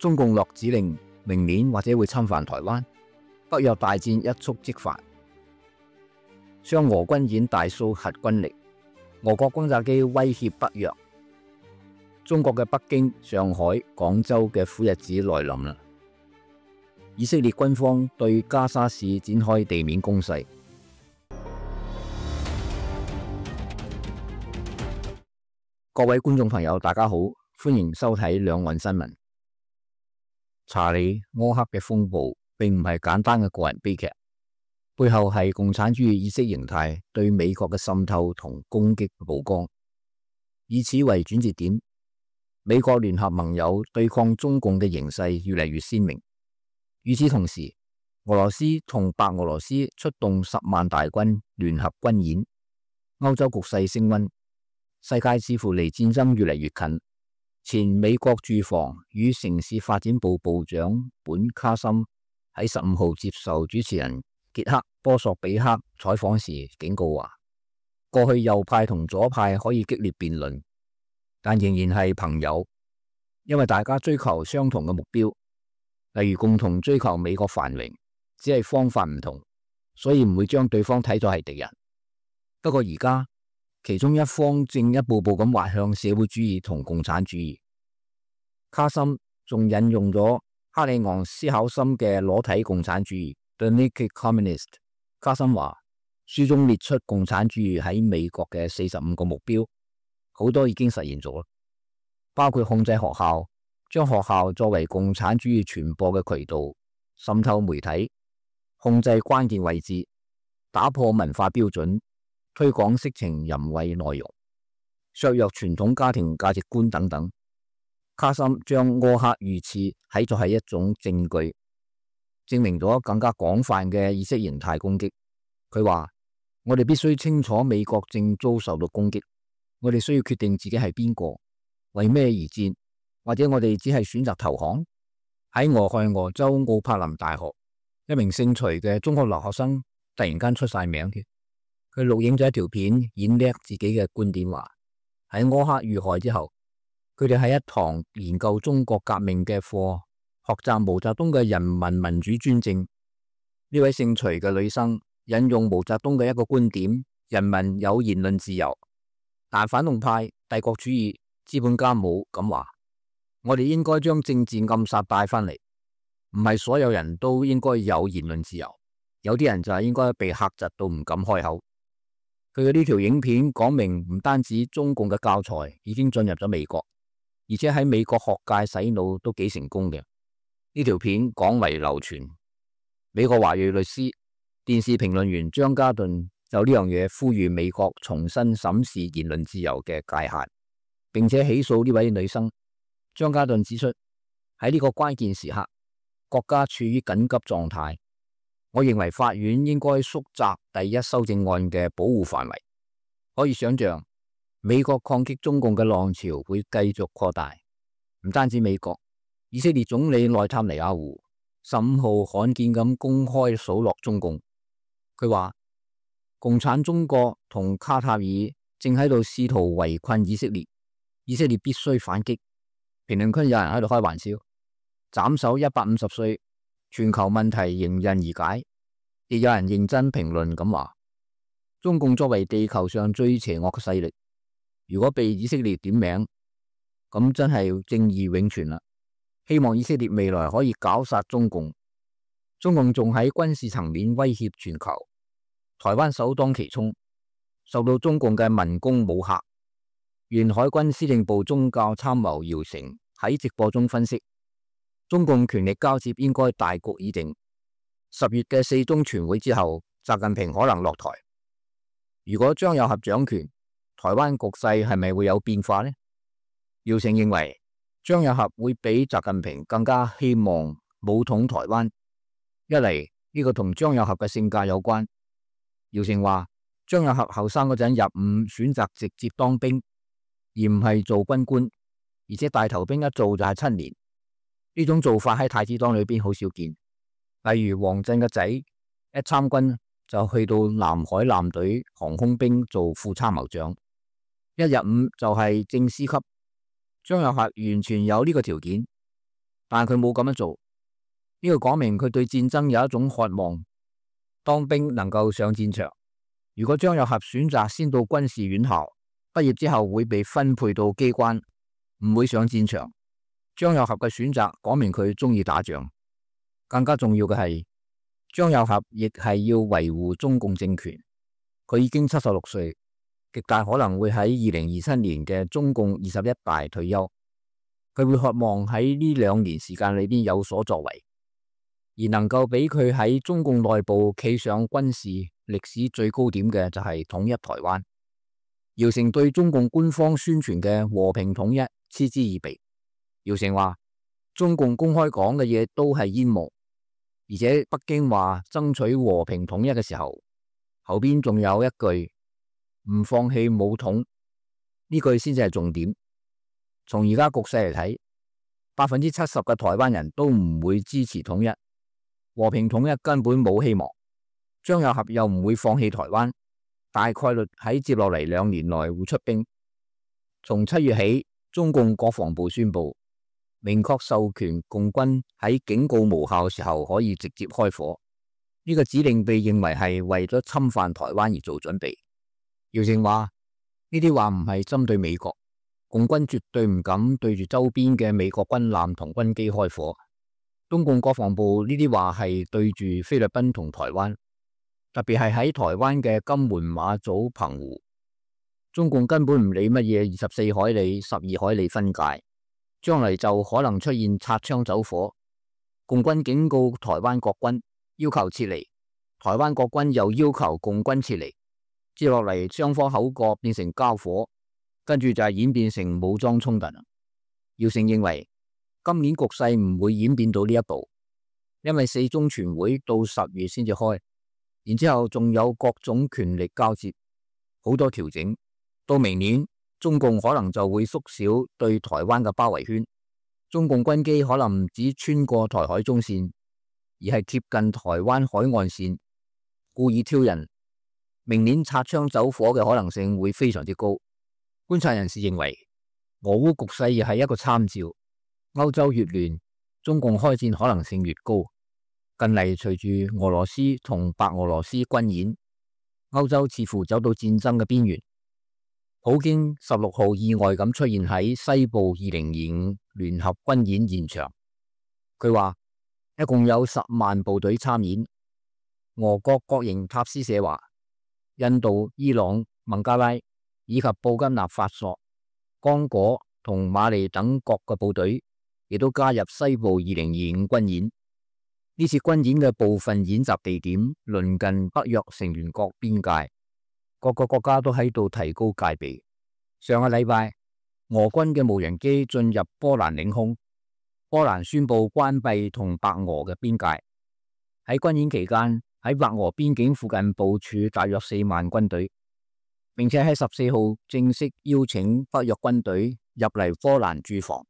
中共落指令，明年或者會侵犯台灣，北約大戰一觸即發，雙俄軍演大蘇核軍力，俄國轟炸機威脅北約，中國嘅北京、上海、廣州嘅苦日子來臨啦。以色列軍方對加沙市展開地面攻勢。各位觀眾朋友，大家好，歡迎收睇兩岸新聞。查理柯克嘅風暴並唔係簡單嘅個人悲劇，背後係共產主義意識形態對美國嘅滲透同攻擊曝光。以此為轉折點，美國聯合盟友對抗中共嘅形勢越嚟越鮮明。與此同時，俄羅斯同白俄羅斯出動10萬大軍聯合軍演，歐洲局勢升溫，世界似乎離戰爭越嚟越近。前美國住房與城市發展部部長本卡森喺15號接受主持人傑克波索比克採訪時警告話，過去右派同左派可以激烈辯論，但仍然係朋友，因為大家追求相同嘅目標，例如共同追求美國繁榮，只係方法唔同，所以唔會將對方睇作係敵人。不過而家，其中一方正一步步咁滑向社會主義同共產主義。卡森仲引用咗克里昂斯考森嘅裸體共產主義 The Naked Communist。卡森話，書中列出共產主義喺美國嘅45個目標，好多已經實現咗，包括控制學校，將學校作為共產主義傳播嘅渠道，滲透媒體，控制關鍵位置，打破文化標準，推廣色情淫穢內容，削弱傳統家庭價值觀等等。卡森將柯克遇刺睇作係一種證據，證明咗更加廣泛嘅意識形態攻擊。佢話，我哋必須清楚美國正遭受到攻擊，我哋需要決定自己係邊個，為咩而戰，或者我哋只係選擇投降。喺俄亥俄州奧柏林大學，一名姓徐嘅中學留學生突然間出晒名嘅。佢錄影咗一條片，演叻自己嘅觀點，話喺柯克遇害之後，佢哋喺一堂研究中國革命嘅課，學習毛澤東嘅人民民主專政。呢位姓徐嘅女生引用毛澤東嘅一個觀點：人民有言論自由，但反動派、帝國主義、資本家冇咁話。我哋應該將政治暗殺帶翻嚟，唔係所有人都應該有言論自由，有啲人就係應該被嚇窒到唔敢開口。佢嘅呢條影片講明，唔單止中共嘅教材已經進入咗美國，而且喺美國學界洗腦都幾成功嘅。呢條片廣為流傳。美國華裔律師、電視評論員張家頓就呢樣嘢呼籲美國重新審視言論自由嘅界限，並且起訴呢位女生。張家頓指出，喺呢個關鍵時刻，國家處於緊急狀態。我認為法院應該縮窄第一修正案嘅保護範圍。可以想象，美國抗擊中共嘅浪潮會繼續擴大。唔單止美國，以色列總理內塔尼亞胡15號罕見咁公開數落中共。佢話，共產中國同卡塔爾正喺度試圖圍困以色列，以色列必須反擊。評論區有人喺度開玩笑，斬首150歲，全球問題迎刃而解。亦有人認真評論咁話，中共作為地球上最邪惡嘅勢力，如果被以色列點名，咁真係正義永存啦。希望以色列未來可以絞殺中共。中共仲喺軍事層面威脅全球，台灣首當其衝，受到中共嘅文攻武嚇。原海軍司令部宗教參謀姚成喺直播中分析，中共權力交接應該大局已定。10月嘅4中全會之後，習近平可能落台。如果張又俠掌權，台灣局勢係咪會有變化呢？姚成認為張又俠會比習近平更加希望武統台灣。一嚟呢個同張又俠嘅性格有關。姚成話，張又俠後生嗰陣入伍選擇直接當兵，而唔係做軍官，而且大頭兵一做就係7年。呢種做法喺太子黨裏邊好少見。例如王震嘅仔一參軍就去到南海艦隊航空兵做副參謀長，一入伍就係正司級。張又俠完全有呢個條件。但佢冇咁樣做。呢個講明佢對戰爭有一種渴望，當兵能夠上戰場。如果張又俠選擇先到軍事院校，畢業之後會被分配到機關，唔會上戰場。張又俠嘅選擇講明佢中意打仗。更加重要嘅係，張又俠亦係要維護中共政權。佢已經76歲，極大可能會喺2027年嘅中共21大退休。佢會渴望喺呢2年時間裏邊有所作為，而能夠俾佢喺中共內部企上軍事歷史最高點嘅就係統一台灣。姚成對中共官方宣傳嘅和平統一嗤之以鼻。姚成話中共公開講嘅嘢都係煙幕，而且北京話爭取和平統一嘅時候，後邊仲有一句唔放棄武統，呢句先至係重點。從而家局勢嚟睇，70%嘅台灣人都唔會支持統一，和平統一根本冇希望。張又俠又唔會放棄台灣，大概率喺接落嚟2年內會出兵。從7月起，中共國防部宣布明確授權共軍喺警告無效嘅時候可以直接開火。呢個指令被認為係為咗侵犯台灣而做準備。姚成話呢啲話唔係針對美國，共軍絕對唔敢對住周邊嘅美國軍艦同軍機開火。中共國防部呢啲話係對住菲律賓同台灣，特別係喺台灣嘅金門、馬祖、澎湖，中共根本唔理乜嘢24海里、12海里分界，將來就可能出現擦槍走火。共軍警告台灣國軍要求撤離，台灣國軍又要求共軍撤離，接落嚟雙方口角變成交火，跟住就係演變成武裝衝突。姚成認為今年局勢唔會演變到呢一步，因為4中全會到10月先至開，然之後仲有各種權力交接，好多調整。到明年中共可能就會縮小對台灣嘅包圍圈，中共軍機可能唔止穿過台海中線，而係貼近台灣海岸線，故意挑釁。明年擦槍走火嘅可能性會非常之高。觀察人士認為，俄烏局勢亦係一個參照。歐洲越亂，中共開戰可能性越高。近嚟隨住俄羅斯同白俄羅斯軍演，歐洲似乎走到戰爭嘅邊緣。普京16號意外咁出現喺西部2025聯合軍演現場，佢話一共有10萬部隊參演。俄國國營塔斯社話，印度、伊朗、孟加拉以及布吉納法索、剛果同馬利等國嘅部隊亦都加入西部2025軍演。呢次軍演嘅部分演習地點鄰近北約成員國邊界，各個國家都喺度提高戒備。上個禮拜，俄軍嘅無人機進入波蘭領空，波蘭宣布關閉同白俄嘅邊界。喺軍演期間，喺白俄邊境附近部署大約4萬軍隊，並且喺14號正式邀請北約軍隊入嚟波蘭駐防。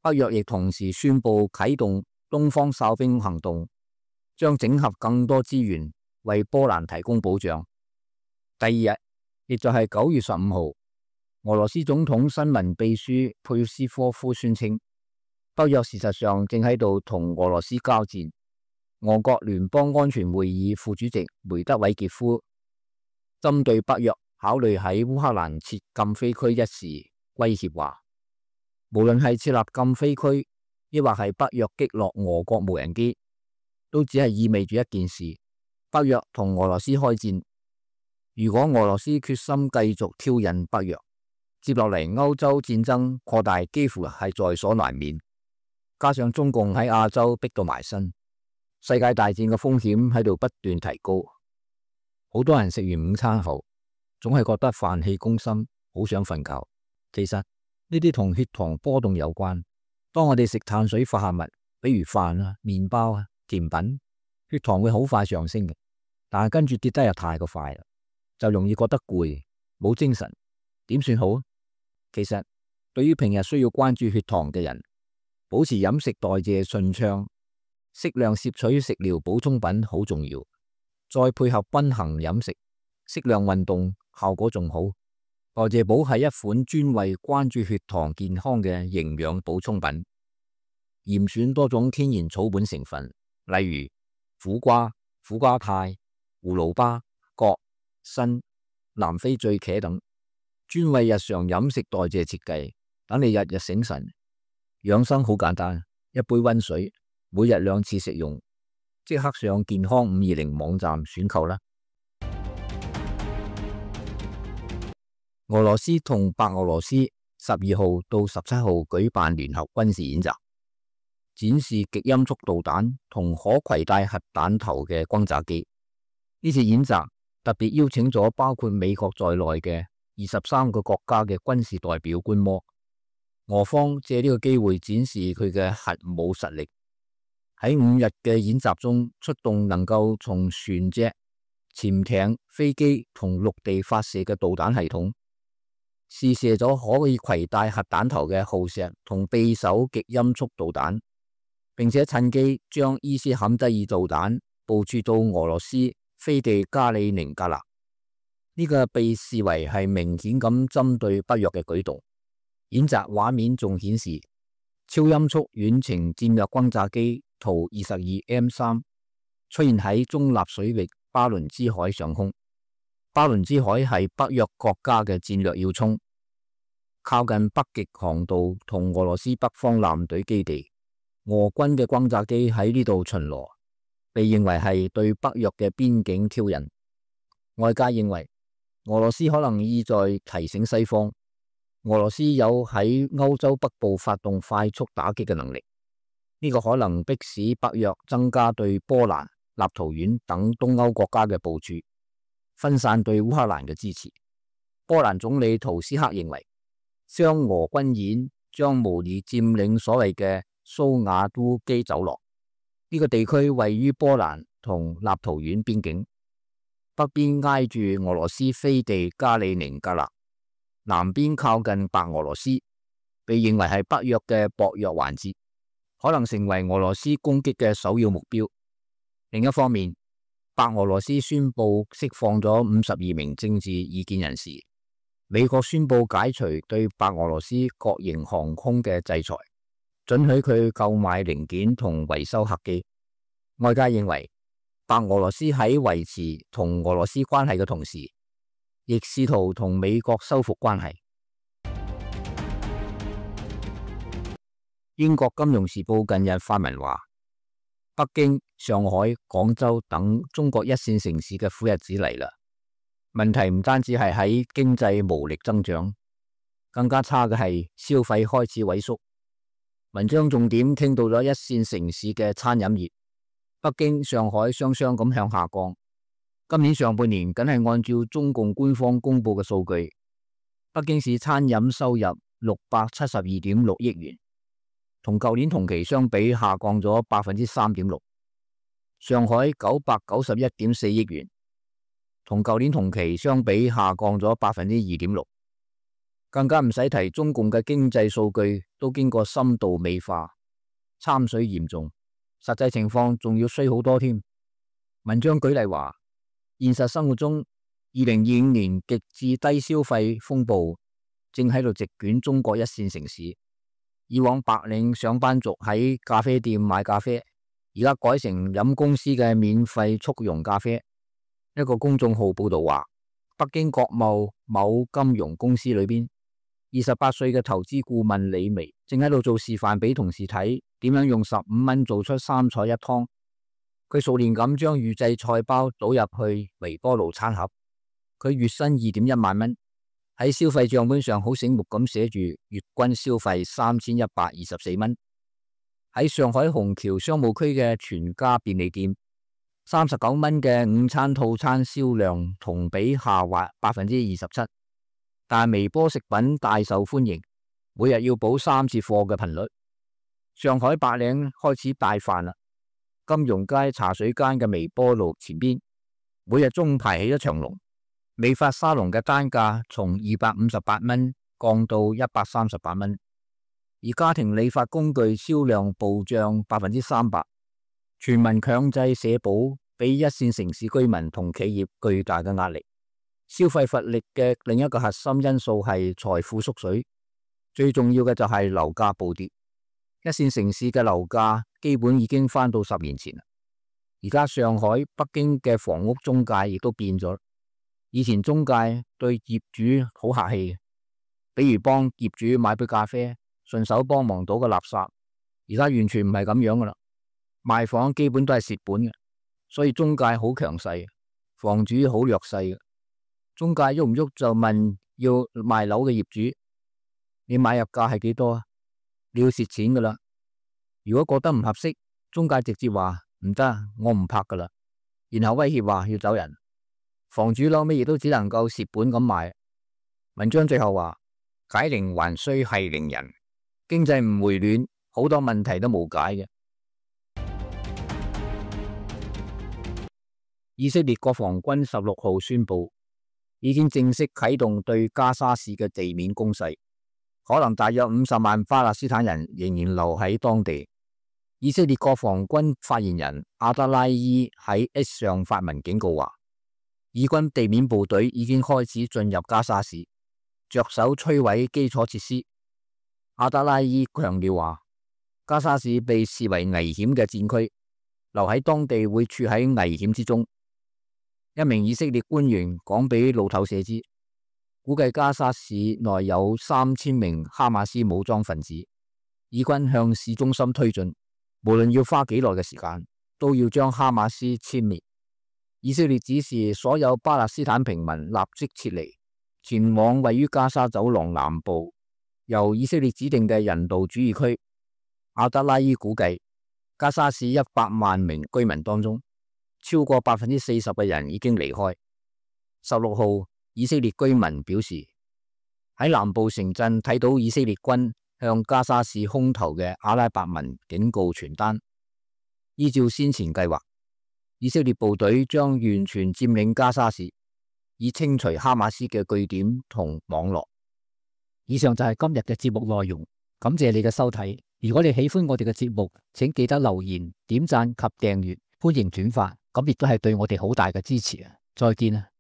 北約亦同時宣布啟動東方哨兵行動，將整合更多資源為波蘭提供保障。第二日，亦就係9月15號，俄羅斯總統新聞秘書佩斯科夫宣稱，北約事實上正喺度同俄羅斯交戰。俄國聯邦安全會議副主席梅德韋傑夫針對北約考慮喺烏克蘭設禁飛區一事威脅話，無論係設立禁飛區，抑或係北約擊落俄國無人機，都只係意味住一件事：北約同俄羅斯開戰。如果俄羅斯決心繼續挑釁北約，接落嚟歐洲戰爭擴大幾乎係在所難免。加上中共喺亞洲逼到埋身，世界大戰嘅風險喺度不斷提高。好多人食完午餐後，總係覺得飯氣攻心，好想瞓覺。其實呢啲同血糖波動有關。當我哋食碳水化合物，比如飯啊、麵包啊、甜品，血糖會好快上升嘅，但係跟住跌得又太過快啦，就容易覺得攰，冇精神。點算好？其實對於平日需要關注血糖嘅人，保持飲食代謝順暢，適量攝取食療補充品好重要，再配合均衡飲食、適量運動，效果仲好。代謝寶係一款專為關注血糖健康嘅營養補充品。嚴選多種天然草本成分，例如苦瓜、苦瓜肽、葫蘆巴、葛、參、南非醉茄等，專為日常飲食代謝設計，等你日日醒神。養生好簡單，一杯溫水，每日2次食用，即刻上健康520網站選購啦。俄羅斯同白俄羅斯12號到17號舉辦聯合軍事演習，展示極音速導彈同可攜帶核彈頭嘅轟炸機。呢次演習特別邀請咗包括美國在內嘅23個國家嘅軍事代表觀摩。俄方借呢個機會展示佢嘅核武實力。喺5日嘅演習中，出動能夠從船隻、潛艇、飛機同陸地發射嘅導彈系統，試射咗可以攜帶核彈頭嘅鋯石同匕首極音速導彈，並且趁機將伊斯坎德爾導彈部署到俄羅斯飛地加里寧格勒。呢個被視為係明顯咁針對北約嘅舉動。演習畫面仲顯示超音速遠程戰略轟炸機圖 22M3 出現喺中立水域巴倫支海上空。巴倫支海係北約國家嘅戰略要衝，靠近北極航道同俄羅斯北方艦隊基地。俄軍嘅轟炸機喺呢度巡邏，被認為係對北約嘅邊境挑釁。外界認為俄羅斯可能意在提醒西方，俄羅斯有喺歐洲北部發動快速打擊嘅能力。呢個可能迫使北約增加對波蘭、立陶宛等東歐國家嘅部署，分散對烏克蘭嘅支持。波蘭總理圖斯克認為，雙俄軍演將模擬佔領所謂嘅蘇瓦都基走廊。呢個地區位於波蘭同立陶宛邊境，北邊挨住俄羅斯飛地加里寧格勒，南邊靠近白俄羅斯，被認為係北約嘅薄弱環節，可能成為俄羅斯攻擊嘅首要目標。另一方面，白俄羅斯宣布釋放咗52名政治異見人士。美國宣布解除對白俄羅斯國營航空嘅制裁，准許佢購買零件同維修客機。外界認為，白俄羅斯喺維持同俄羅斯關係嘅同時，亦試圖同美國修復關係。英國金融時報近日發文話，北京、上海、廣州等中國一線城市嘅苦日子嚟啦。問題唔單止係喺經濟無力增長，更加差嘅係消費開始萎縮。文章重點傾到咗一線城市嘅餐飲業，北京、上海雙雙咁向下降。今年上半年僅係按照中共官方公布嘅數據，北京市餐飲收入672.6億元，同舊年同期相比下降咗3.6%。上海991.4億元，同舊年同期相比下降咗2.6%。更加唔使提中共嘅經濟數據都經過深度美化，參水嚴重，實際情況仲要衰好多添。文章舉例話，現實生活中2025年極致低消費風暴正喺度席捲中國一線城市。以往白領上班族喺咖啡店買咖啡，而家改成飲公司嘅免費速溶咖啡。一個公眾號報道話，北京國貿某金融公司裏邊，28歲嘅投資顧問李薇正喺度做示範俾同事睇，點樣用15蚊做出3菜一湯。佢熟練咁將預製菜包倒入去微波爐餐盒。佢月薪2.1萬蚊，喺消費賬本上好醒目咁寫住月均消費3124蚊。喺上海虹橋商務區嘅全家便利店，39蚊嘅午餐套餐銷量同比下滑27%，但微波食品大受歡迎，每日要補3次貨嘅頻率。上海白領開始帶飯啦，金融街茶水間嘅微波爐前邊，每日中午排起一長龍。美髮沙龍嘅單價從258蚊降到138蚊，而家庭理髮工具銷量暴漲300%，全民強制社保俾一線城市居民同企業巨大嘅壓力。消費乏力嘅另一個核心因素係財富縮水，最重要嘅就係樓價暴跌。一線城市嘅樓價基本已經翻到10年前啦。而家上海、北京嘅房屋中介亦都變咗。以前中介對業主好客氣嘅，比如幫業主買杯咖啡，順手幫忙倒個垃圾。而家完全唔係咁樣噶啦，賣房基本都係蝕本嘅，所以中介好強勢，房主好弱勢嘅。中介喐唔喐就問要賣樓嘅業主，你買入價係幾多啊？你要蝕錢噶啦。如果覺得唔合適，中介直接話唔得，我唔拍噶啦，然後威脅話要走人。房主嬲尾亦都只能夠蝕本咁賣。文章最後話，解鈴還須繫鈴人，經濟唔回暖，好多問題都冇解嘅。以色列國防軍16號宣布，已經正式啟動對加沙市嘅地面攻勢，可能大約50萬巴勒斯坦人仍然留喺當地。以色列國防軍發言人阿德拉伊喺 X 上發文警告話，以軍地面部隊已經開始進入加沙市，着手摧毀基礎設施。阿德拉伊強調話，加沙市被視為危險嘅戰區，留喺當地會處喺危險之中。一名以色列官員講俾路透社知，估計加沙市內有3000名哈馬斯武裝分子，以軍向市中心推進，無論要花幾耐嘅時間，都要將哈馬斯殲滅。以色列指示所有巴勒斯坦平民立即撤離，前往位於加沙走廊南部由以色列指定嘅人道主義區。阿德拉伊估計，加沙市100萬名居民當中，超過40%嘅人已經離開。16號，以色列居民表示，喺南部城鎮睇到以色列軍向加沙市空投嘅阿拉伯文警告傳單。依照先前計劃，以色列部隊將完全佔領加沙市，以清除哈馬斯嘅據點同網絡。以上就係今日嘅節目內容，感謝你嘅收睇。如果你喜歡我哋嘅節目，請記得留言、點讚及訂閱，歡迎轉發，咁亦都係對我哋好大嘅支持啊！再見啊！